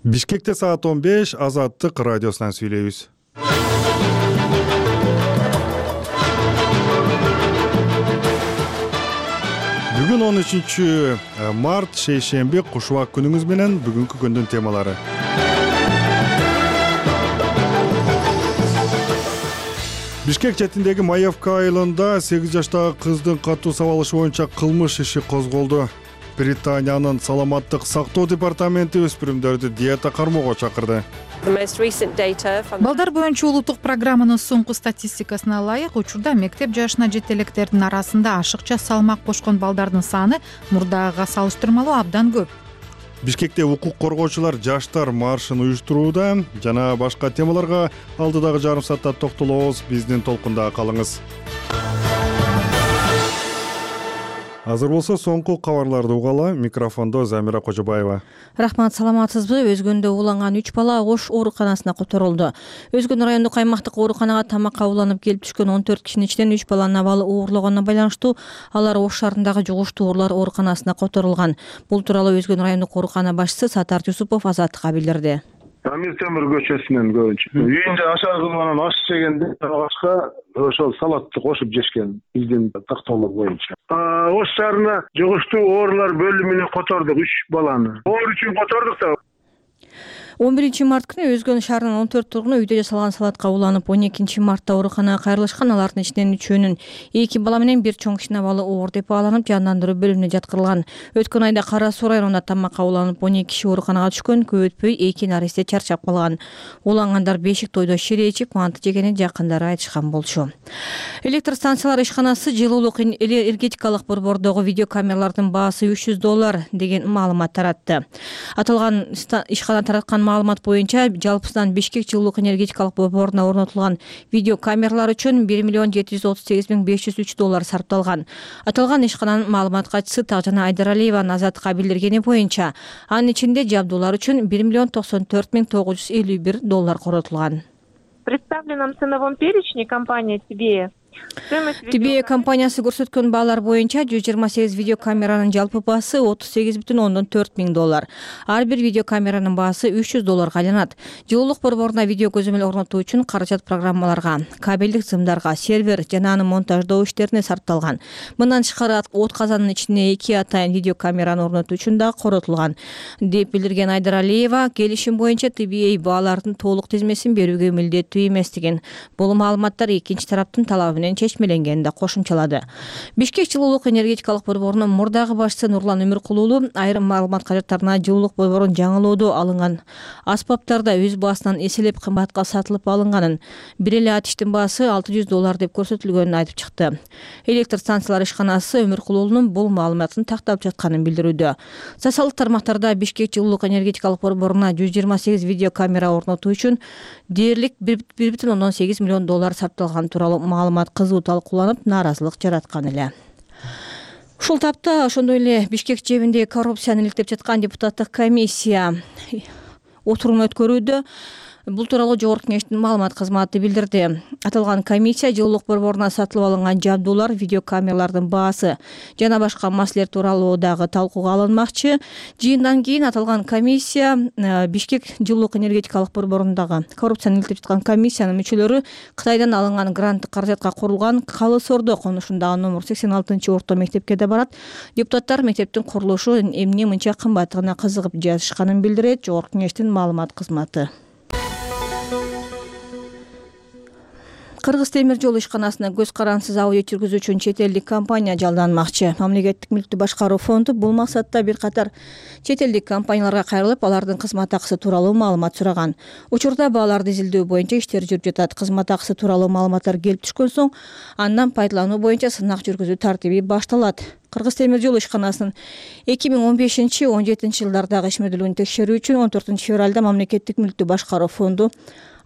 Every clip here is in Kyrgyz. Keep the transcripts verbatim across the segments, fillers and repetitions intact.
Бишкекте саат он беш, Азаттык радиосунан сүйлөйбүз. Бүгүн он үчүнчү март, шейшемби, кушубак күнүңүз менен бүгүнкү күндүн темалары. Бишкек четиндеги Маевка айылында сегиз жаштагы кыздын катуу сабалышы боюнча кылмыш иши козголду. Британиянын саламаттык сактоо департаменти өспүрүмдөрдү диета кармоого чакырды. Балдар боюнча улуттук программанын соңку статистикасына ылайык, учурда мектеп жашына жеткен электердин арасында ашыкча салмак кошкон балдардын саны мурдагыга салыштырмалуу абдан көп. Бишкекте укук коргоочулар жаштар маршын уюштурууда жана башка темаларга алдыдагы жарым саатта токтолобуз. Биздин толкунда калыңыз. Азыр болсо соңку кабарларды угалы. Микрофондо Замира Кожобаева. Рахмат, саламатсызбы? Өзгөндө уланган үч бала Ош ооруканасына которулду. Өзгөн райондук аймактык ооруканага тамакка уланып келип түшкөн он төрт кишинин ичинен үч баланын абалы оорлогонуна байланыштуу алар Ош шаарындагы жугуштуу оорулар ооруканасына которулган. Бул тууралуу Өзгөн райондук оорукана башчысы Сатар Юсупов Азаттыкка билдирди. Амир Темир көчөсүнөн көбүнчө. Үйүндө ашар кылып анан аш жегенде башка ошол салатты кошуп жешкен биздин тактоолор боюнча. Ош шаарына жугуштуу оорулар бөлүмүнө котордук үч баланы. Оор үчүн котордук да. он биринчи март күнү Өзгөн шаарынын он төрт тургуну үйдө жасалган салатка уланып, он экинчи мартта ооруканага кайрылышкан. Алардын ичинен үчөөнүн эки бала менен бир чоң кичине бала оор деп бааланып, жандандыруу бөлүмүнө жаткырылган. Өткөн айда Кара Суу районунда тамакка уланып он эки киши ооруканага түшкөн. Көп өтпөй эки наристе чарчап калган. Улангандар бешик тойдо шире ичип, манты жегенин жакындары айтышкан болчу. Электр станциялар ишканасы жылуулук энергетикалык борбордогу видеокамералардын баасы үч жүз доллар деген маалымат таратты. Аталган ишкана тараткан маалымат боюнча жалпысынан Бишкек жылуулук энергетикалык борборуна орнотулган видеокамералар үчүн бир миллион жети жүз отуз сегиз миң беш жүз үч доллар сарпталган. Аталган ишкананын маалымат катчысы Тагжан Айдаралиеванын Азаттыкка билдиргени боюнча, анын ичинде жабдуулар үчүн бир миллион токсон төрт миң тогуз жүз элүү бир доллар коротулган. В представленном ценовом перечне компания «Тебе» Тебе компаниясы көрсөткөн баалар боюнча жүз жыйырма сегиз видеокамеранын жалпы баасы отуз сегиз бүтүн ондон төрт миң доллар. Ар бир видеокамеранын баасы үч жүз долларга айланат. Жылуулук борборуна видео көзөмөл орнотуу үчүн каражат программаларга, кабелдик сымдарга, сервер жана аны монтаждоо иштерине сарпталган. Мындан тышкары от казанынын ичине эки атайын видеокамераны орнотуу үчүн да коротулган, деп билдирген Айдаралиева. Келишим боюнча Тебе баалардын толук тизмесин берүүгө милдеттүү эместигин, бул маалыматтар экинчи тараптын талабы чечмеленгенин да кошумчалады. Бишкек жылуулук энергетикалык борборунун мурдагы башчысы Нурлан Өмүркулуулу айрым маалымат кажеттарына жылуулук борборунун жаңылоодо алынган аспаптарда өз баасынан эселеп кымбатка сатылып алынганын, бир эле атиштин баасы алты жүз доллар деп көрсөтүлгөнүн айтып чыкты. Электр станциялар ишканасы Өмүркулуулунун бул маалыматын тактап жатканын билдирүүдө. Социалдык тармактарда Бишкек жылуулук энергетикалык борборуна жүз жыйырма сегиз видеокамера орнотуу үчүн дээрлик бир бүтүн ондон сегиз миллион доллар сарпталган тууралуу маалымат кызуу талкууланып, нааразылык жараткан эле. Ушул тапта ошондой эле Бишкек жебинде коррупцияны иликтеп жаткан депутаттык комиссия отурум өткөрүүдө. Бул тууралуу Жогорку Кеңештин маалымат кызматы билдирди. Аталган комиссия жылуулук борборуна сатылып алынган жабдуулар, видеокамералардын баасы жана башка маселелер тууралуу дагы талкууга алынмакчы. Жыйындан кийин аталган комиссия Бишкек жылуулук энергетикалык борборундагы коррупцияны иликтеп жаткан комиссиянын мүчөлөрү Кытайдан алынган гранттык каражатка курулган Калы Сордо конушундагы номер сексен алтынчы орто мектепке да барат. Депутаттар мектептин курулушу эмне мынча кымбаттыгына кызыгып жатышканын билдирет Жогорку Кеңештин маалымат кызматы. Кыргыз темир жол ишканасына көз карансыз аудит жүргүзүү үчүн чет элдик компания жалданмакчы. Мамлекеттик мүлктү башкаруу фонду бул максатта бир катар чет элдик компанияларга кайрылып, алардын кызмат акысы тууралуу маалымат сураган. Учурда бааларды изилдөө боюнча иштер жүрүп жатат. Кызмат акысы тууралуу маалыматтар келип түшкөн соң, андан пайдалануу боюнча сынак жүргүзүү тартиби башталат. Кыргыз темир жол ишканасынын эки миң он бешинчи — он жетинчи жылдардагы ишмердүүлүгүн текшерүү үчүн он төртүнчү февралда Мамлекеттик мүлктү башкаруу фонду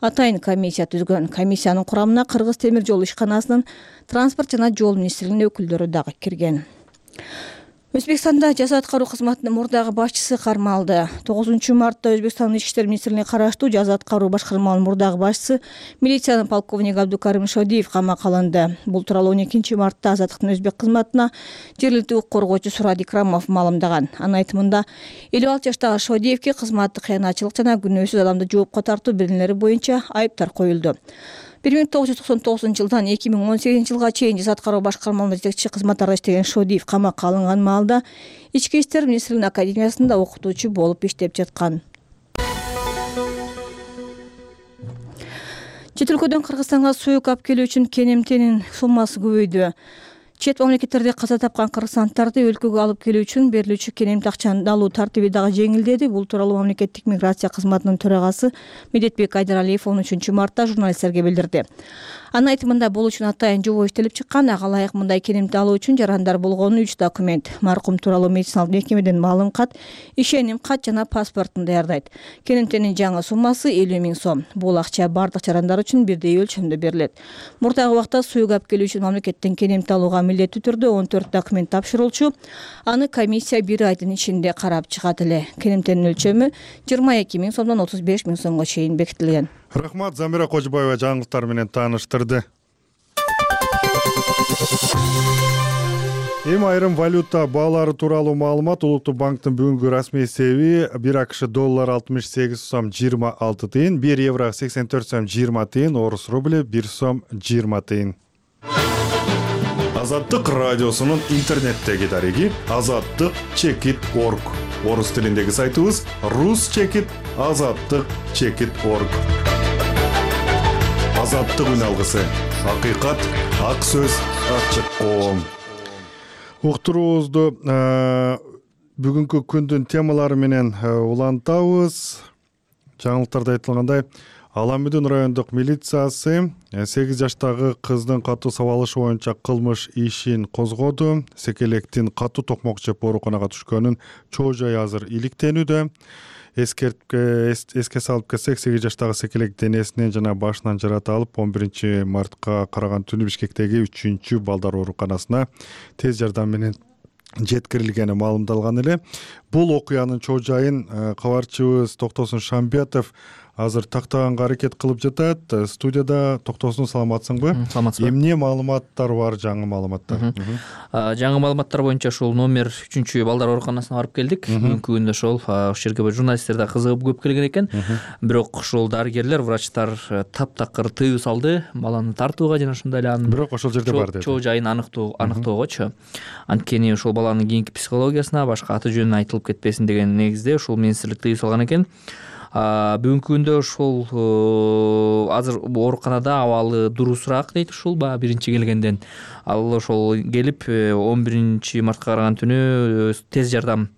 атайын комиссия түзгөн. Комиссиянын курамына Кыргыз темир жол ишканасынын транспорт жана жол министрлигинин өкүлдөрү дагы кирген. Өзбекстанда жаза аткаруу кызматынын мурдагы башчысы кармалды. тогузунчу мартта Өзбекстандын Ички иштер министрлигине караштуу жаза аткаруу башкармаларынын мурдагы башчысы милициянын полковниги Абдукарим Шодиев камакка алынды. Бул тууралуу он экинчи мартта Азаттыктын өзбек кызматына жергиликтүү укук коргоочу Сурат Икрамов маалымдаган. Анын айтымында элүү алты жаштагы Шодиевке кызматтык кыянатчылык жана күнөөсүз адамды жоопко тартуу беренелери боюнча айыптар коюлду. бир миң тогуз жүз токсон тогузунчу жылдан эки миң он сегизинчи жылга чейин жаза аткаруу башкармаларында жетекчи кызматтарда иштеген Шодиев камакка алынган маалда Ички иштер министрлигинин академиясында окутуучу болуп иштеп жаткан. Чет өлкөдөн Кыргызстанга сөөк алып келүү үчүн кенемтенин суммасы көбөйдү. Чет мамлекеттерде каза тапкан кыргызстандарды өлкөгө алып келүү үчүн берилүүчү кенемти акчаны алуу тартиби дагы жеңилдеди. Бул тууралуу мамлекеттик миграция кызматынын төрагасы Медетбек Айдаралиев он үчүнчү мартта журналисттерге билдирди. Анын айтымында бул үчүн атайын жобо иштелип чыккан. Ага ылайык мындай кенемти алуу үчүн жарандар болгону үч документ: маркум тууралуу медициналык мекемеден маалым кат, ишеним кат жана паспортун даярдайт. Кенемтенин жаңы суммасы элүү миң сом. Бул акча бардык жарандар үчүн бирдей өлчөмдө берилет. Мурдагы убакта сөөк алып келүү үчүн мамлекеттен кенемти алууга милдеттүү түрдө он төрт документ тапшырылчу. Аны комиссия бир айдын ичинде карап чыгат эле. Кенемтенин өлчөмү жыйырма эки миң сомдон отуз беш миң сомго чейин бекитилген. Рахмат, Замира Кожубаева жаңылыктар менен тааныштырды. Эми айрым валюта баалары тууралуу маалымат. Улуттук банктын бүгүнкү расмий эсеби: бир АКШ доллар алтымыш сегиз сом жыйырма алты тыйын, бир евро сексен төрт сом жыйырма тыйын, орус рубли бир сом жыйырма тыйын. Азаттык радиосунун интернеттеги дареги азаттык чекит точка орг. Орус тилиндеги сайтыбыз рус чекит азаттык чекит точка орг. Азаттык үн алгысы. Акыйкат, ак сөз, ачык коом. Уктуруубузду бүгүнкү күндүн темалары менен улантабыз. Жаңылыктарда айтылгандай, Аламүдүн райондук милициясы сегиз жаштагы кыздын катуу сабалышы боюнча кылмыш ишин козгоду. Секелектин катуу токмок жеп ооруканага түшкөнүн чоо жайы азыр иликтенүүдө. Эске салып кетсек, сегиз жаштагы секелек денесинен жана башынан жарата алып, он биринчи мартка караган түнү Бишкектеги үчүнчү балдар ооруканасына тез жардам менен жеткирилгени маалымдалган эле. Бул окуянын чоо жайын кабарчыбыз Токтосун Шамбетов азыр тактаганга аракет кылып жатат. Студияда. Токтосун, саламатсыңбы? Саламатсызбы. Эмне маалыматтар бар, жаңы маалыматтар? Жаңы маалыматтар боюнча ушул номер үчүнчү балдар ооруканасына барып келдик. Бүгүнкү күндө ошол ошол жерге журналисттер да кызыгып көп келген экен. Бирок ушул дарыгерлер, врачтар таптакыр тыюу салды баланы тартууга жана ошондой эле анын бирок ошол жерде бар деди. Чоо жайын аныктоо аныктоогочу. Анткени ошол баланын кийинки психологиясына, башка аты жөнүнө айтылып кетпесин деген негизде ушул министрлик тыюу салган экен. Бүгүнкү күндө ошол азыр ооруканада абалы дурусураак дейт ушул баягы биринчи келгенден. Ал ошол келип он биринчи мартка караган түнү тез жардам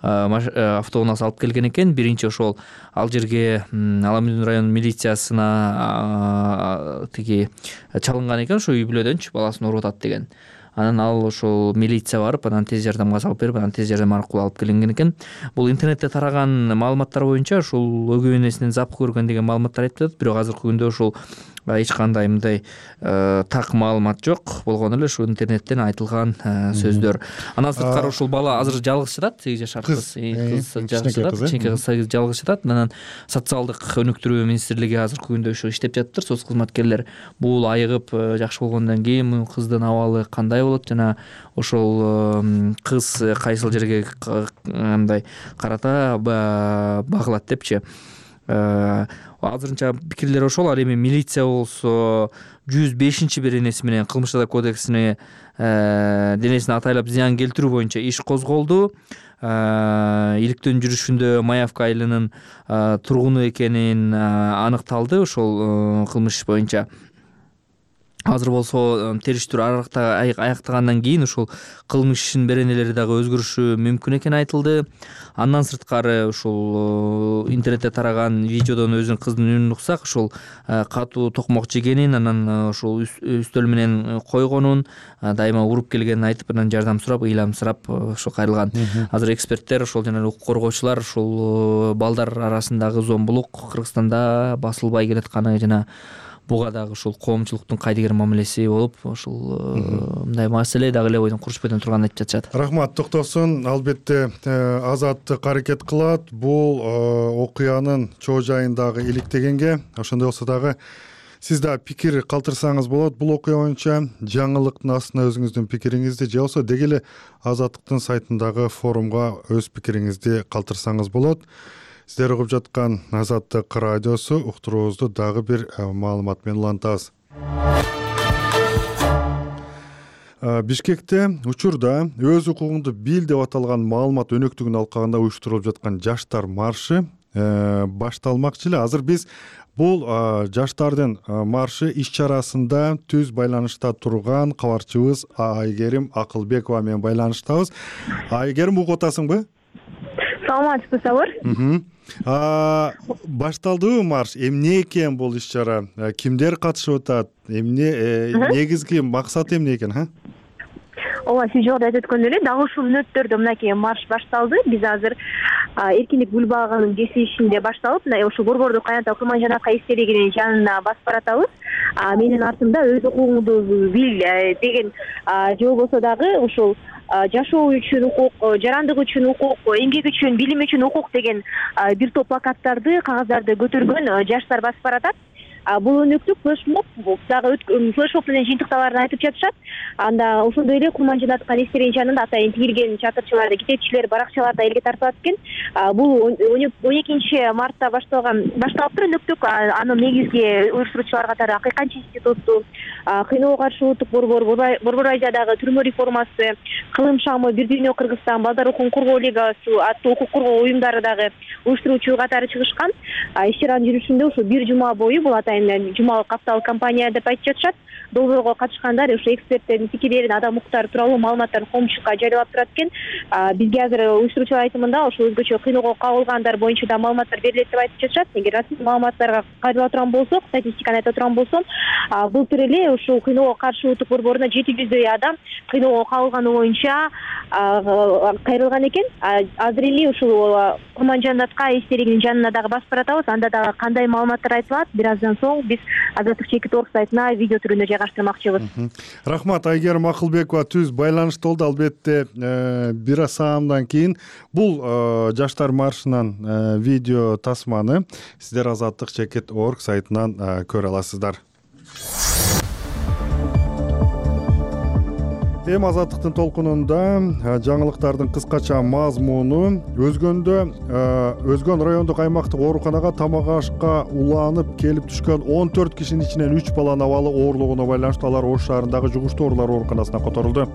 автоунаасы алып келген экен. Биринчи ошол ал жерге Аламүдүн район милициясына тиги чалынган экен, ошо үй бүлөдөнчү баласын ооруп атат деген. Анан ал ошол милиция барып, анан тез жардамга салып берип, анан тез жардам аркылуу алып келинген экен. Бул интернетте тараган маалыматтар боюнча ушул өгөй энесинен зап көргөн деген маалыматтар айтып жатат. Бирок азыркы күндө ушул эч кандай мындай так маалымат жок. Болгону эле ушул интернеттен айтылган сөздөр. Андан сырткары ушул бала азыр жалгыз жатат, сегиз жашар кыз. Кыз жалгыз жатат, кичинекей кыз жалгыз жатат. Анан социалдык өнүктүрүү министрлиги азыркы күндө ушу иштеп жатыптыр. Соц кызматкерлер бул айыгып жакшы болгондон кийин кыздын абалы кандай болот жана ошол кыз кайсыл жерге мындай карата багылат депчи. Азырынча пикирлер ошол. Ал эми милиция болсо жүз бешинчи беренеси менен кылмыш жаза кодексине денесине атайлап зыян келтирүү боюнча иш козголду. Иликтөөнүн жүрүшүндө Маевка айылынын тургуну экенин аныкталды ошол кылмыш боюнча. Азыр болсо териштирүү аяктагандан кийин ушул кылмыш ишинин беренелери дагы өзгөрүшү мүмкүн экени айтылды. Андан сырткары ушул интернетте тараган видеодон өзүнүн кыздын үнүн уксак, ушул катуу токмок жегенин, анан ушул үстөл менен койгонун, дайыма уруп келгенин айтып, анан жардам сурап, ыйламсырап ошо кайрылган. Азыр эксперттер ошол жана укук коргоочулар ушул балдар арасындагы зомбулук Кыргызстанда басылбай келатканы жана буга дагы ушул коомчулуктун кайдыгер мамилеси болуп ушул мындай маселе дагы эле бойдон курчпайдан турганын айтып жатышат. Рахмат, токтосун. Албетте Азаттык аракет кылат бул окуянын чоо жайындагы иликтегенге. Ошондой болсо дагы сиз да пикир калтырсаңыз болот бул окуя боюнча, жаңылыктын астына өзүңүздүн пикириңизди же болбосо деги эле Азаттыктын сайтындагы форумга өз пикириңизди калтырсаңыз болот. Сиздер угуп жаткан Азаттык радиосу, уктуруубузду дагы бир маалымат менен улантабыз. Бишкекте учурда өз укугуңду бил деп аталган маалымат өнөктүгүн алкагында уюштурулуп жаткан жаштар маршы башталмакчы эле. Азыр биз бул жаштардын маршы иш-чарасында түз байланышта турган кабарчыбыз Айгерим Акылбекова менен байланыштабыз. Айгерим, угуп атасыңбы? Саламатсызбы, Сабыр? Башталдыбы марш? Эмне экен бул иш-чара? Кимдер катышып атат? Эмне негизги максаты эмне экен, ха? Ооба, сиз жогоруда айтып өткөндөй эле дагы ушул мүнөттөрдө мынакей марш башталды. Биз азыр эркиндик гүл багынын кесилишинде башталып, мына ушул борбордук кайнатуу Курманжанатка эстелигинин жанына басып баратабыз. Менин артымда өз укугуңду бил деген же болбосо дагы ушул жашоо үчүн укук, жарандык үчүн укук, эмгек үчүн, билим үчүн укук деген бир топ плакаттарды, кагаздарды көтөргөн жаштар басып баратат. Бул өнөктүк флешмоб дагы флешмоб менен жыйынтыкталарын айтып жатышат. Анда ошондой эле Курманжанатка эстелигинин жанында атайын тигилген чатырчыларды, китепчилер, баракчалар да элге тартылат экен. Бул он экинчи мартта башталган башталып тур өнөктүк. Анын негизги уюштуруучулар катары Акыйканч институту, Кыйноого каршы улуттук борбор, Борбор Азиядагы түрмө реформасы, Кылым шамы, Бир дүйнө Кыргызстан, Балдар укугун коргоо лигасы аттуу укук коргоо уюмдары дагы уюштуруучу катары чыгышкан. Иш-чаранын жүрүшүндө ушу бир жума бою бул атайын жумалык апталык кампания деп айтып жатышат. Долбоорго катышкандар ушу эксперттердин пикирлерин, адам укуктары тууралуу маалыматтарын коомчулукка жарыялап турат экен. Бизге азыр уюштуруучулар айтымында ошо өзгөчө кыйноого кабылгандар боюнча да маалыматтар берилет деп айтып жатышат. Эгер расмий маалыматтарга кайрыла турган болсок, статистиканы айта турган болсом, былтыр эле ушул кыйноого каршы улуттук борборуна жети жүздөй адам кыйноого кабылганы боюнча кайрылган экен. Азыр эле ушул Курманжанатка эстелигинин жанына дагы басып баратабыз. Анда дагы кандай маалыматтар айтылат, бир аздан соң биз Азаттык чекит орг сайтына видео түрүндө жайгаштырмакчыбыз. Рахмат, Айгерим Акылбекова түз байланышта болду. Албетте бир аз саамдан кийин бул жаштар маршынан видео тасманы сиздер Азаттык чекит орг сайтынан көрө аласыздар. Эми Азаттыктын толкунунда жаңылыктардын кыскача мазмуну өзгөндө өзгөн райондук аймактык ооруканага тамак ашка уланып келип түшкөн он төрт кишинин ичинен үч баланын абалы оорлугуна байланыштуу алар Ош шаарындагы жугуштуу оорулар ооруканасына которулду.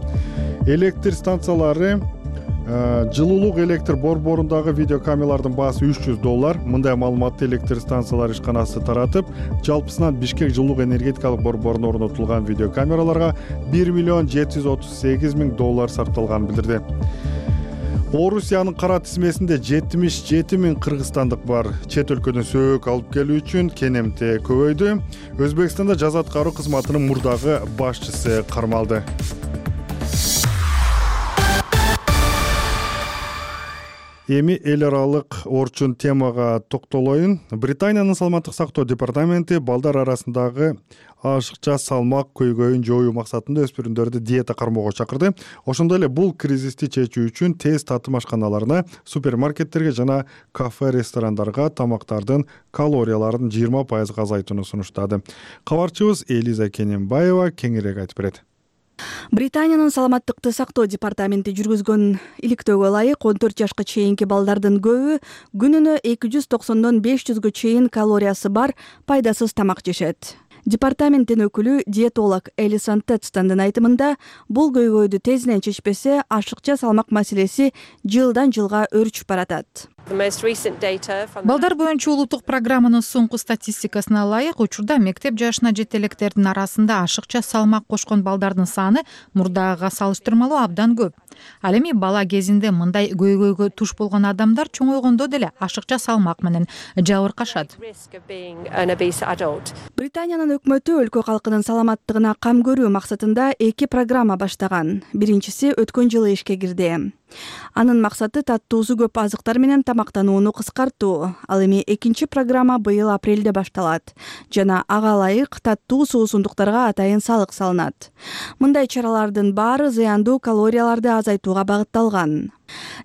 Электр станциялары, жылуулук электр борборундагы видеокамералардын баасы үч жүз доллар. Мындай маалыматты электр станциялар ишканасы таратып, жалпысынан Бишкек жылуулук энергетикалык борборунда орнотулган видеокамераларга бир миллион жети жүз отуз сегиз миң доллар сарпталганын билдирди. Орусиянын кара тизмесинде жетимиш жети миң кыргызстандык бар. Чет өлкөдөн сөөгү алып келүү үчүн кенемте көбөйдү. Өзбекстанда жаза аткаруу кызматынын мурдагы башчысы кармалды. Эми эл аралык орчун темага токтолоюн. Британиянын саламаттык сактоо департаменти балдар арасындагы ашыкча салмак көйгөйүн жоюу максатында өспүрүмдөрдү диета кармоого чакырды. Ошондой эле бул кризисти чечүү үчүн тез татым ашканаларына, супермаркеттерге жана кафе-ресторандарга тамактардын калорияларын жыйырма пайызга азайтууну сунуштады. Кабарчыбыз Элиза Кененбаева кеңирээк айтып берет. Британиянын саламаттыкты сактоо департаменти жүргүзгөн иликтөөгө ылайык он төрт жашка чейинки балдардын көбү күнүнө эки жүз токсондон беш жүзгө чейин калориясы бар пайдасыз тамак жешет. Департаменттин өкүлү диетолог Элисон Тедстандын айтымында, бул көйгөйдү тезинен чечпесе, ашыкча салмак маселеси жылдан жылга өрчүп баратат. Балдар боюнча улуттук программанын соңку статистикасына ылайык, учурда мектеп жашына жете электердин арасында ашыкча салмак кошкон балдардын саны мурдагыга салыштырмалуу абдан көп. Ал эми бала кезинде мындай көйгөйгө туш болгон адамдар чоңойгондо деле ашыкча салмак менен жабыркашат. Британиянын өкмөтү өлкө калкынын саламаттыгына кам көрүү максатында эки программа баштаган. Биринчиси өткөн жылы ишке кирди. Анын максаты таттуусу көп азыктар менен тамактанууну кыскартуу. Ал эми экинчи программа быйыл апрелде башталат жана ага ылайык таттуу суусундуктарга атайын салык салынат. Мындай чаралардын баары зыяндуу калорияларды азайтууга багытталган.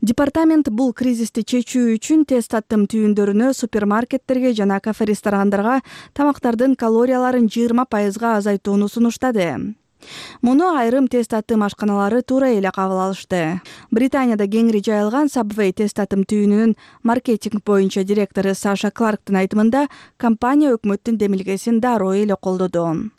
Департамент бул кризисти чечүү үчүн тез таттым түйүндөрүнө супермаркеттерге жана кафе-ресторандарга тамактардын калорияларын жыйырма пайызга азайтууну сунуштады. Муну айрым тез таттым ашканалары туура эле кабыл алышты. Британияда кеңири жайылган Subway тез таттым түйүнүнүн маркетинг боюнча директору Саша Кларктын айтымында, компания өкмөттүн демилгесин дароо эле колдоду.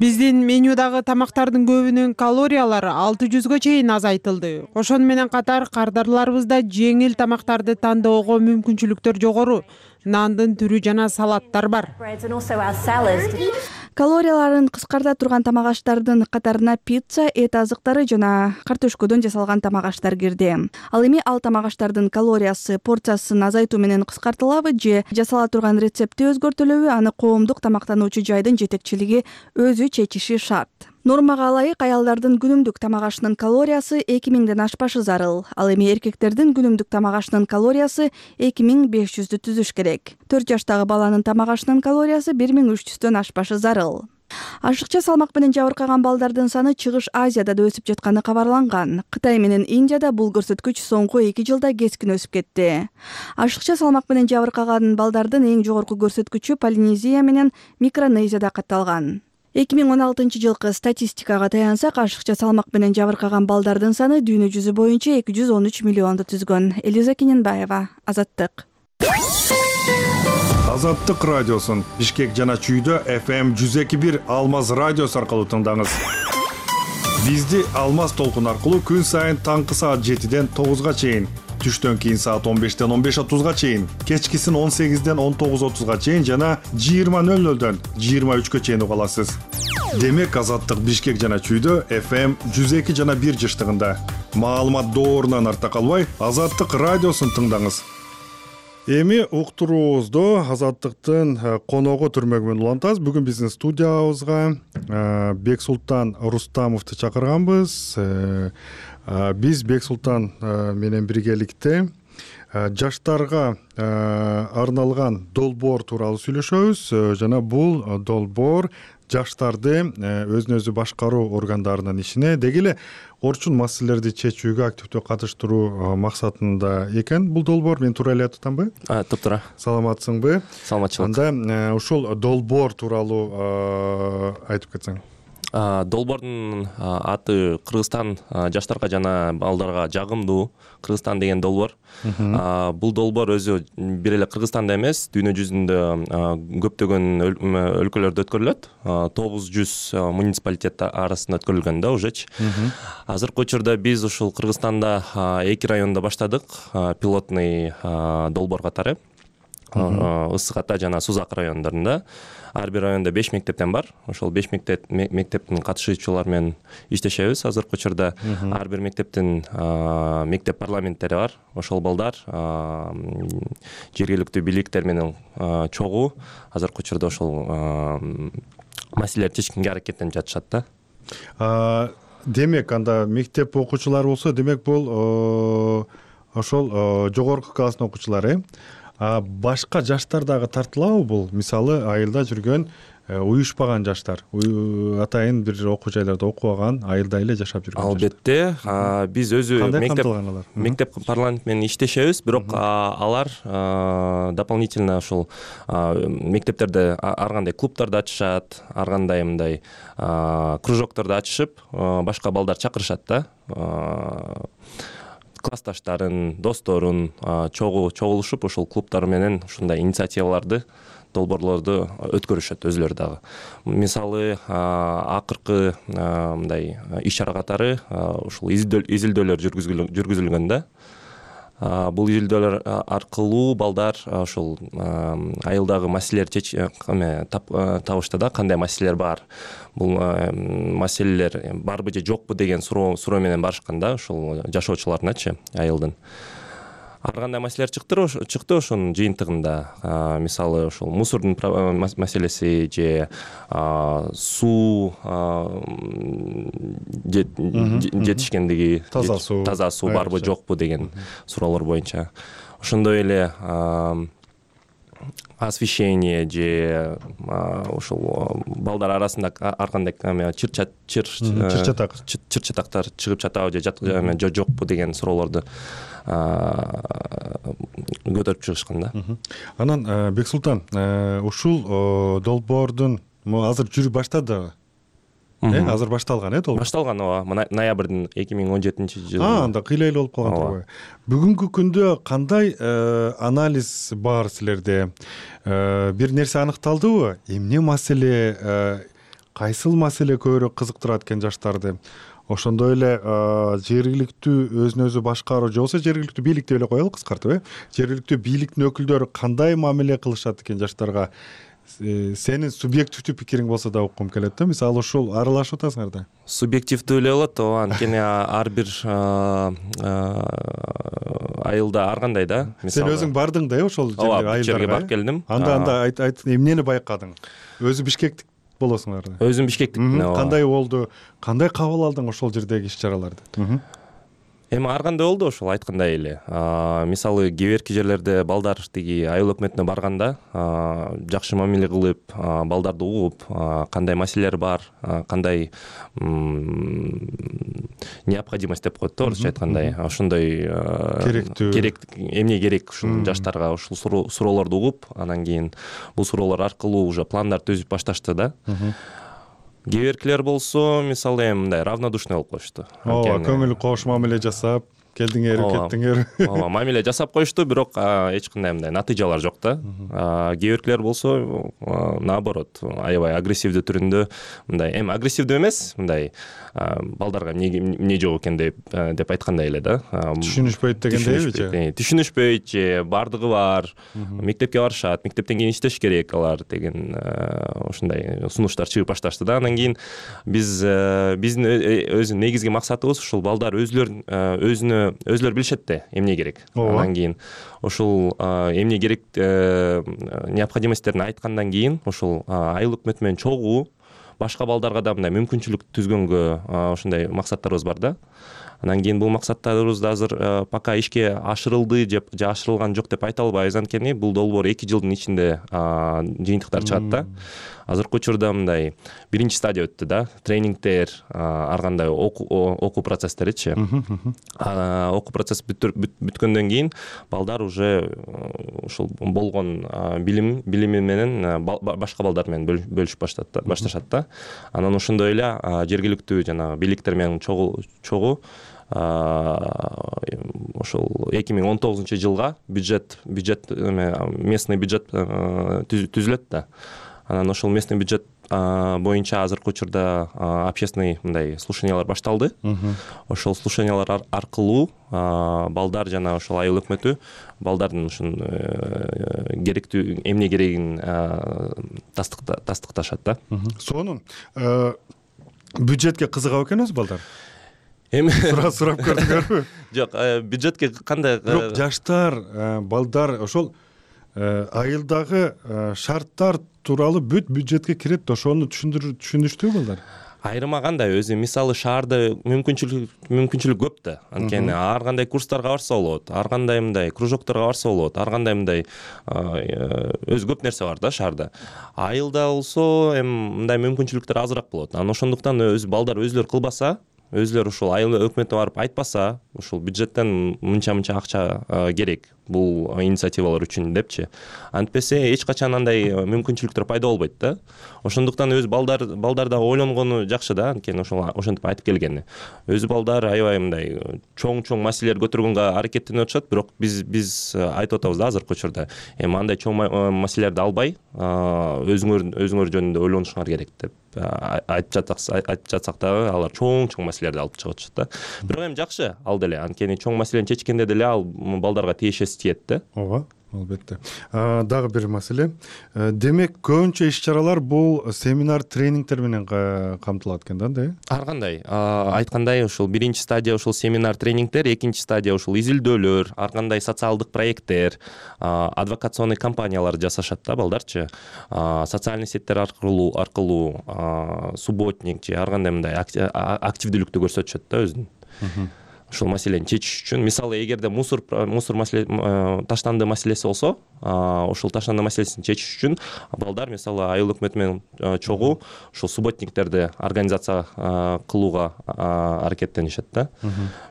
Биздин менюдагы тамактардын көбүнүн калориялары алты жүзгө чейин азайтылды. Ошону менен катар кардарларыбызда жеңил тамактарды тандоого мүмкүнчүлүктөр жогору. Нандын түрү жана салаттар бар. Калорияларын кыскарта турган тамак аштардын катарына пицца, эт азыктары жана картошкодон жасалган тамак аштар кирди. Ал эми ал тамак аштардын калориясы порциясын азайтуу менен кыскартылабы же жасала турган рецепти өзгөртүлөбү, аны коомдук тамактануучу жайдын жетекчилиги өзү чечиши шарт. Нормага ылайык аялдардын күнүмдүк тамак ашынын калориясы эки миңден ашпашы зарыл. Ал эми эркектердин күнүмдүк тамак ашынын калориясы эки миң беш жүздү түзүш керек. төрт жаштагы баланын тамак ашынын калориясы бир миң үч жүздөн ашпашы зарыл. Ашыкча салмак менен жабыркаган балдардын саны Чыгыш Азияда да өсүп жатканы кабарланган. Кытай менен Индияда бул көрсөткүч соңку эки жылда кескин өсүп кетти. Ашыкча салмак менен жабыркаган балдардын эң жогорку көрсөткүчү Полинезия менен Микронезияда катталган. эки миң он алтынчы жылкы статистикага таянсак, ашыкча салмак менен жабыркаган балдардын саны дүйнө жүзү боюнча эки жүз он үч миллионду түзгөн. Элиза Кененбаева, Азаттык. Азаттык радиосун Бишкек жана Чүйдө эф эм жүз эки бир Алмаз радиосу аркылуу тыңдаңыз. Бизди Алмаз толкун аркылуу күн сайын таңкы саат жетиден тогузга чейин, түштөн кийин саат он бештен он беш отузга чейин, кечкисин он сегизден он тогуз отузга чейин жана жыйырма нөл нөлдөн жыйырма үчкө чейин уга аласыз. Демек Азаттык Бишкек жана Чүйдө эф эм жүз эки жана бир жыштыгында. Маалымат доорунан артта калбай, Азаттык радиосун тыңдаңыз. Эми уктуруубузду Азаттыктын коногу түрмөгү менен улантабыз. Бүгүн биздин студиябызга Бексултан Рустамовду чакырганбыз. Биз Бексултан менен биргеликте жаштарга арналган долбоор тууралуу сүйлөшөбүз. Жана бул долбоор жаштарды өзүн өзү башкаруу органдарынын ишине, деги эле орчун маселелерди чечүүгө активдүү катыштыруу максатында экен бул долбоор. Мен туура эле айтып атамбы? Туптура. Саламатсыңбы? Саламатчылык. Анда ушул долбоор тууралуу айтып кетсең. Долбоордун аты Кыргызстан жаштарга жана балдарга жагымдуу Кыргызстан деген долбоор. Бул долбоор өзү бир эле Кыргызстанда эмес, дүйнө жүзүндө көптөгөн өлкөлөрдө өткөрүлөт. тогуз жүз муниципалитет арасында өткөрүлгөн да ужечи. Азыркы учурда биз ушул Кыргызстанда эки районда баштадык пилотный долбоор катары. Ысык Ата жана Сузак райондорунда. Ар бир районда беш мектептен бар. Ошол беш мектеп мектептин катышуучулары менен иштешебиз. Азыркы учурда ар бир мектептин мектеп парламенттери бар. Ошол балдар жергиликтүү бийликтер менен чогуу азыркы учурда ошол маселелерди чечкенге аракеттенип жатышат да. Демек анда мектеп окуучулары болсо, демек бул ошол жогорку класстын окуучулары. Башка жаштар дагы тартылабы бул? Мисалы, айылда жүргөн уюшпаган жаштар, атайын бир окуу жайларда окубаган, айылда эле жашап жүргөн. Албетте, биз өзү мектеп мектеп парламент менен иштешебиз, бирок алар дополнительно ушул мектептерде ар кандай клубдарды ачышат, ар кандай мындай кружокторду ачышып, башка балдар чакырышат да. Классташтарын, досторун чогуу чогулушуп, ошол клубтар менен ушундай инициативаларды, долбоорлорду өткөрүшөт өзүлөрү дагы. Мисалы, акыркы мындай иш-чара катары ушул изилдөөлөр жүргүзүлгөн да. Бул изилдөөлөр аркылуу балдар ошол айылдагы маселелерди табышты да, кандай маселелер бар. Бул маселелер барбы же жокпу деген суроо суроо менен барышкан да, ушул жашоочуларыначы айылдын. ар кандай маселелер чыкты чыкты ошонун жыйынтыгында. Мисалы ошол мусордун маселеси же суу жетишкендиги, таза суу таза суу барбы жокпу деген суроолор боюнча. Ошондой эле освещение же ошол балдар арасында ар кандай чыр чатак чыр чатактар чыгып жатабы же жокпу деген суроолорду көтөрүп чыгышкан да. Анан Бексултан, ушул долбоордун азыр жүрүп баштады. Э, азыр башталган э, долбоор. Башталган, ооба. Ноябрдын эки миң он жетинчи жылы. А, анда кыйлайлы болуп калган турбайбы? Бүгүнкү күндө кандай анализ бар силерде? Бир нерсе аныкталдыбы? Эмне маселе, кайсыл маселе көбүрөөк кызыктырат экен жаштарды? Ошондой эле жергиликтүү өзүн өзү башкаруу же болбосо жергиликтүү бийлик деп эле коелу кыскартып, э? Жергиликтүү бийликтин өкүлдөрү кандай мамиле кылышат экен жаштарга? Сенин субъективдүү пикириң болсо да уккум келет да. Мисалы ушул аралашып атасыңар да. Субъективдүү эле болот, ооба. Анткени ар бир айылда ар кандай да. Сен өзүң бардың да, ошол жерге барып келдим. Анда анда айт, эмнени байкадың? Өзү бишкектик болосуңар да. Өзүм бишкектикмин. Кандай болду? Кандай кабыл алдың ошол жердеги иш-чараларды? Эми ар кандай болду ошол айткандай эле. Мисалы кээ бирки жерлерде балдар тиги айыл өкмөтүнө барганда жакшы мамиле кылып, балдарды угуп, кандай маселелер бар, кандай необходимость деп коет да, орусча айткандай. Ошондой керектүү керек эмне керек ушул жаштарга ушул суроолорду угуп, анан кийин бул суроолор аркылуу уже пландар түзүп башташты да. Кээ биркилер болсо, мисалы эми мындай равнодушный болуп коюшту. Ооба, көңүл кош мамиле жасап, келдиңер, кеттиңер. Ооба, мамиле жасап коюшту, бирок эч кандай мындай натыйжалар жок да. Кээ биркилер болсо, наоборот, аябай агрессивдүү түрүндө, мындай эми агрессивдүү эмес, мындай балдарга эмне жок экен деп деп айткандай эле да. Түшүнүшпөйт дегендейби же? Түшүнүшпөйт же, бардыгы бар, мектепке барышат, мектептен кийин иштеш керек алар деген ушундай сунуштар чыгып башташты да. Анан кийин биз биздин өзү негизги максатыбыз ушул балдар өзүлөрүн өзүнө өзүлөр билишет да, эмне керек. Андан кийин ушул эмне керек необходимостьтерин айткандан кийин ушул айыл өкмөтү менен чогуу башка балдарга да мындай мүмкүнчүлүк түзгөнгө ушундай максаттарыбыз бар да. Анан кийин бул максаттарыбыз да азыр пока ишке ашырылды же ашырылган жок деп айта албайбыз, анткени бул долбоор эки жылдын ичинде жыйынтыктар чыгат да. Азыркы учурда мындай биринчи стадия өттү да, тренингдер, ар кандай окуу процесстеричи. Окуу процесс бүткөндөн кийин балдар уже ушул болгон билим билими менен башка балдар менен бөлүшүп башташат да. Анан ошондой эле жергиликтүү жанагы бийликтер менен чогуу ошол эки миң он тогузунчу жылга бюджет бюджет местный бюджет түзүлөт да. Анан ошол местный бюджет боюнча азыркы учурда общественный мындай слушаниялар башталды. Ошол слушаниялар аркылуу балдар жана ошол айыл өкмөтү балдардын ушун керектүү эмне керегин тастыкташат да. Сонун бюджетке кызыгабы экен өзү балдар? Эми сурап көрдүңөрбү? Жок, бюджетке кандай бирок жаштар, балдар ошол айылдагы шарттар тууралуу бүт бюджетке кирет, ошону түшүнүштүбү балдар? Айрыма кандай өзү, мисалы шаарда мүмкүнчүлүк мүмкүнчүлүк көп да. Анткени ар кандай курстарга барса болот, ар кандай мындай кружокторго барса болот, ар кандай мындай өзү көп нерсе бар да шаарда. Айылда болсо эми мындай мүмкүнчүлүктөр азыраак болот. Анан ошондуктан өз балдар өзүлөр кылбаса, өзүлөр ушул айыл өкмөтүнө барып айтпаса, ушул бюджеттен мынча-мынча акча керек бул инициативалар үчүн депчи, антпесе эч качан андай мүмкүнчүлүктөр пайда болбойт да. Ошондуктан өз балдар балдар да ойлонгону жакшы да, анткени ошол ошентип айтып келгени. Өзү балдар аябай мындай чоң-чоң маселелер көтөргөнгө аракеттенип атышат, бирок биз биз айтып атабыз да азыркы учурда. Эми андай чоң маселелерди албай, өзүңөр өзүңөр жөнүндө ойлонушуңар керек деп айтып жатсак айтып жатсак дагы алар чоң-чоң маселелерди алып чыгып атышат да. Бирок эми жакшы ал деле, анткени чоң маселени чечкенде деле ал балдарга тиешеси тиет да. Ооба. албетте. Дагы бир маселе. Демек көбүнчө иш чаралар бул семинар тренингтер менен камтылат экен да, да? Ар кандай айткандай ушул биринчи стадия ушул семинар тренингтер, экинчи стадия ушул изилдөөлөр, ар кандай социалдык проекттер, адвокационный кампаниялар жасашат да балдарчы. Социальный сеттер аркылуу аркылуу субботник же ар кандай мындай активдүүлүктү көрсөтүшөт да өзүн. Ушул маселени чечиш үчүн, мисалы, эгерде мусор мусор маселе таштанды маселеси болсо, ушул таштанды маселесин чечиш үчүн балдар мисалы айыл өкмөтү менен чогуу ушул субботниктерди организация кылууга аракеттенишет да.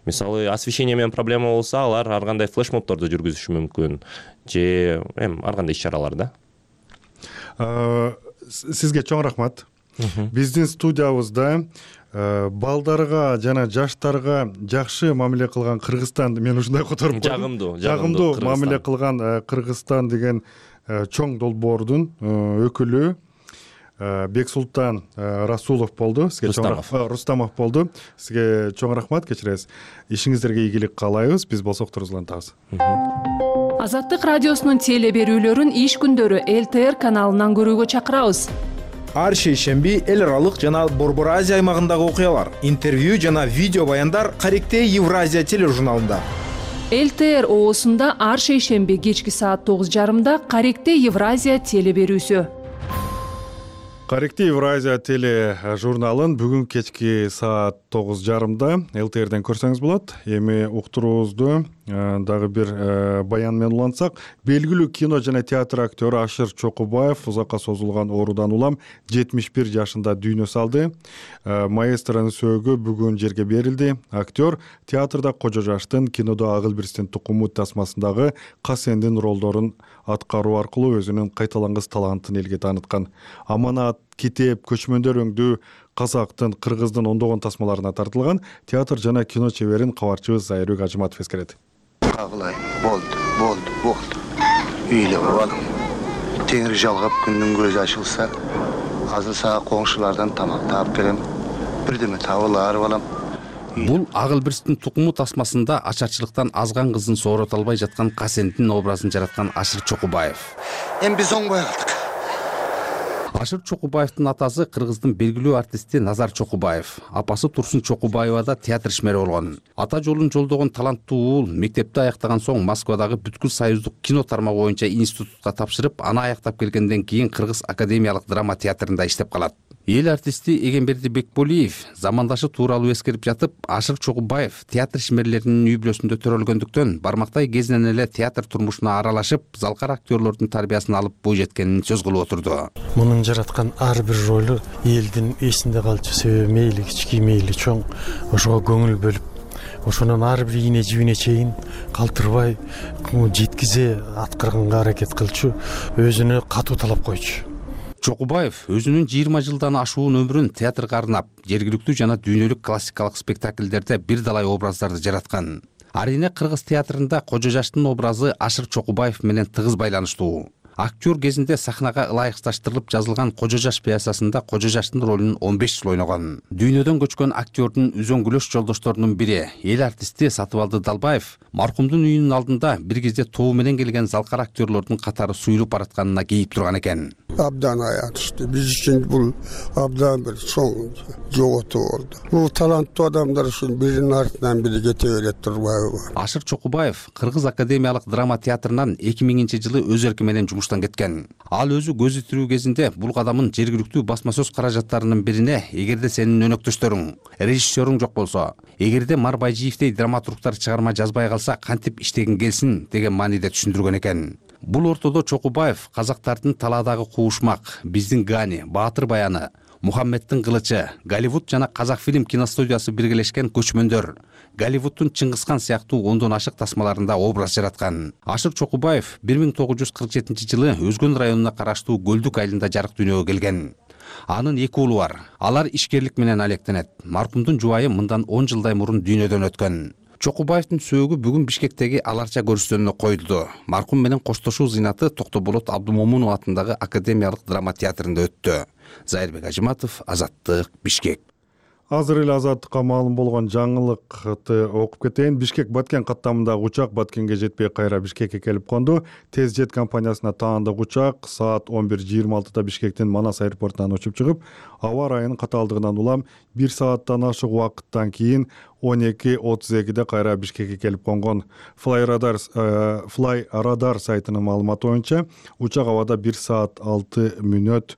Мисалы, освещение менен проблема болсо, алар ар кандай флешмобторду жүргүзүшү мүмкүн же эми ар кандай иш чаралар да. Сизге чоң рахмат. Биздин студиябызда балдарга жана жаштарга жакшы мамиле кылган Кыргызстан, мен ушундай которуп койдум. Жагымдуу, жагымдуу мамиле кылган Кыргызстан деген чоң долбоордун өкүлү Бексултан Расулов болду. Сизге чоң Рустамов болду. Сизге чоң рахмат, кечиресиз. Ишиңиздерге ийгилик каалайбыз. Биз болсоктор улантабыз. Азаттык радиосунун теле берүүлөрүн иш күндөрү эл тэ эр каналынан көрүүгө чакырабыз. Ар шейшемби эл аралык жана Борбор Азия аймагындагы окуялар, интервью жана видео баяндар Каректей Евразия тележурналында. эл тэ эр оосунда ар шейшемби кечки саат тогуз жарымда Каректей Евразия теле берүүсү. Каректей Евразия теле журналын бүгүн кечки саат тогуз жарымда эл тэ эрден көрсөңүз болот. Эми уктуруубузду дагы бир баян менен улантсак, белгилүү кино жана театр актёру Ашыр Чокубаев узакка созулган оорудан улам жетимиш бир жашында дүйнө салды. Маэстронун сөөгү бүгүн жерге берилди. Актер театрда Кожо жаштын, кинодо Агыл Бирстин тукуму тасмасындагы Касендин ролдорун аткаруу аркылуу өзүнүн кайталангыс талантын элге тааныткан. Аманат, Китеп, Көчмөндөр өңдүү казактын, кыргыздын ондогон тасмаларына тартылган театр жана кино чеберин кабарчыбыз Зайырбек Ажыматов эскерет. Кагылай, болду, болду, болду. Үйлө балам. Теңир жалгап күндүн көзү ачылса, азыр сага коңшулардан тамак таап келем. Бирдеме табылар балам. Бул Агыл Бирстин тукуму тасмасында ачарчылыктан азган кызын соорото албай жаткан Касендин образын жараткан Ашыр Чокубаев. Эми биз оңбой калдык. Ашыр Чокубаевдин атасы кыргыздын белгилүү артисти Назар Чокубаев, апасы Турсун Чокубаева да театр ишмери болгон. Ата жолун жолдогон таланттуу уул мектепти аяктаган соң Москвадагы бүткүл союздук кино тармагы боюнча институтка тапшырып, аны аяктап келгенден кийин Кыргыз академиялык драма театрында иштеп калат. Эл артисти Эгемберди Бекболиев замандашы тууралуу эскерип жатып, Ашыр Чокубаев театр ишмерлеринин үй бүлөсүндө төрөлгөндүктөн бармактай кезинен эле театр турмушуна аралашып, залкар актерлордун тарбиясын алып бой жеткенин сөз кылып отурду. Мунун жараткан ар бир ролу элдин эсинде калчу, себеби мейли кички мейли чоң ошого көңүл бөлүп, ошонун ар бир ийне жибине чейин калтырбай жеткизе аткарганга аракет кылчу, өзүнө катуу талап койчу. Чокубаев өзүнүн жыйырма жылдан ашуун өмүрүн театрга арнап, жергиликтүү жана дүйнөлүк классикалык спектакльдерде бир далай образдарды жараткан. Арине Кыргыз театрында Кожо жаштын образы Ашыр Чокубаев менен тыгыз байланыштуу. Актер кезинде сахнага ылайыкташтырылып жазылган Кожо жаш пьесасында Кожо жаштын ролун он беш жыл ойногон. Дүйнөдөн көчкөн актердун үзөңгүлөш жолдошторунун бири, эл артисти Сатыбалды Далбаев, маркумдун үйүнүн алдында бир кезде тобу менен келген залкар актерлордун катары суюлуп баратканына кейип турган экен. Абдан аянычтуу. Биз үчүн бул абдан бир чоң жоготуу болду. Бул таланттуу адамдар үчүн биринин артынан бири кете берет турбайбы? Ашыр Чокубаев Кыргыз академиялык драма театрынан эки миңинчи жылы өз эрки менен жумуштан кеткен. Ал өзү көзү тирүү кезинде бул кадамын жергиликтүү басма сөз каражаттарынын бирине, эгерде сенин өнөктөштөрүң, режиссерүң жок болсо, эгерде Мар Байжиевдей драматургтар чыгарма жазбай калса, кантип иштегин келсин деген мааниде түшүндүргөн экен. Бул ортодо Чокубаев казактардын талаадагы куушмак, биздин Гани, Баатыр баяны, Мухаммедтин кылычы, Голливуд жана Казакфильм киностудиясы биргелешкен Көчмөндөр, Голливудтун Чыңгызхан сыяктуу ондон ашык тасмаларында образ жараткан. Ашыр Чокубаев бир миң тогуз жүз кырк жетинчи жылы Өзгөн районуна караштуу Көлдүк айылында жарык дүйнөгө келген. Анын эки уулу бар. Алар ишкерлик менен алектенет. Маркумдун жубайы мындан он жылдай мурун дүйнөдөн өткөн. Чокубаевдин сөөгү бүгүн Бишкектеги Аларча көрүстөнүнө коюлду. Маркум менен коштошуу зыйнаты Токтоболот Абдумомунов атындагы академиялык драма театрында өттү. Зайырбек Ажыматов, Азаттык, Бишкек. азыр эле азаттыкка маалым болгон жаңылыкты окуп кетейин. Бишкек Баткен каттамындагы учак Баткенге жетпей кайра Бишкекке келип конду. Тез жет компаниясына таандык учак саат он бир жыйырма алтыда Бишкектин Манас аэропортунан учуп чыгып, аба ырайынын катаалдыгынан улам бир сааттан ашык убакыттан кийин он эки отуз экиде кайра Бишкекке келип конгон. Flyradar Flyradar сайтынын маалыматы боюнча учак абада бир саат алты мүнөт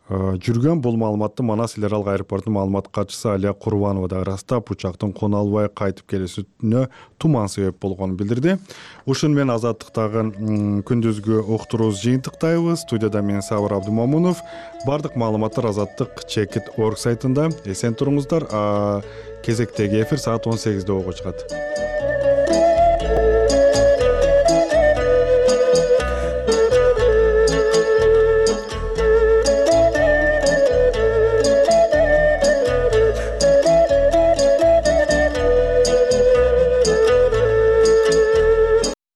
жүргөн. Бул маалыматты Манас эл аралык аэропортунун маалымат катчысы Алия Курбанова да ырастап, учактын кона албай кайтып келүүсүнө туман себеп болгонун билдирди. Ушун менен азаттыктагы күндүзгү уктуруубузду жыйынтыктайбыз. Студияда мен Сабыр Абдымомунов. Бардык маалыматтар азаттык чекит точка орг сайтында. Эсен туруңуздар. Кезектеги эфир саат он сегизде ого чыгат.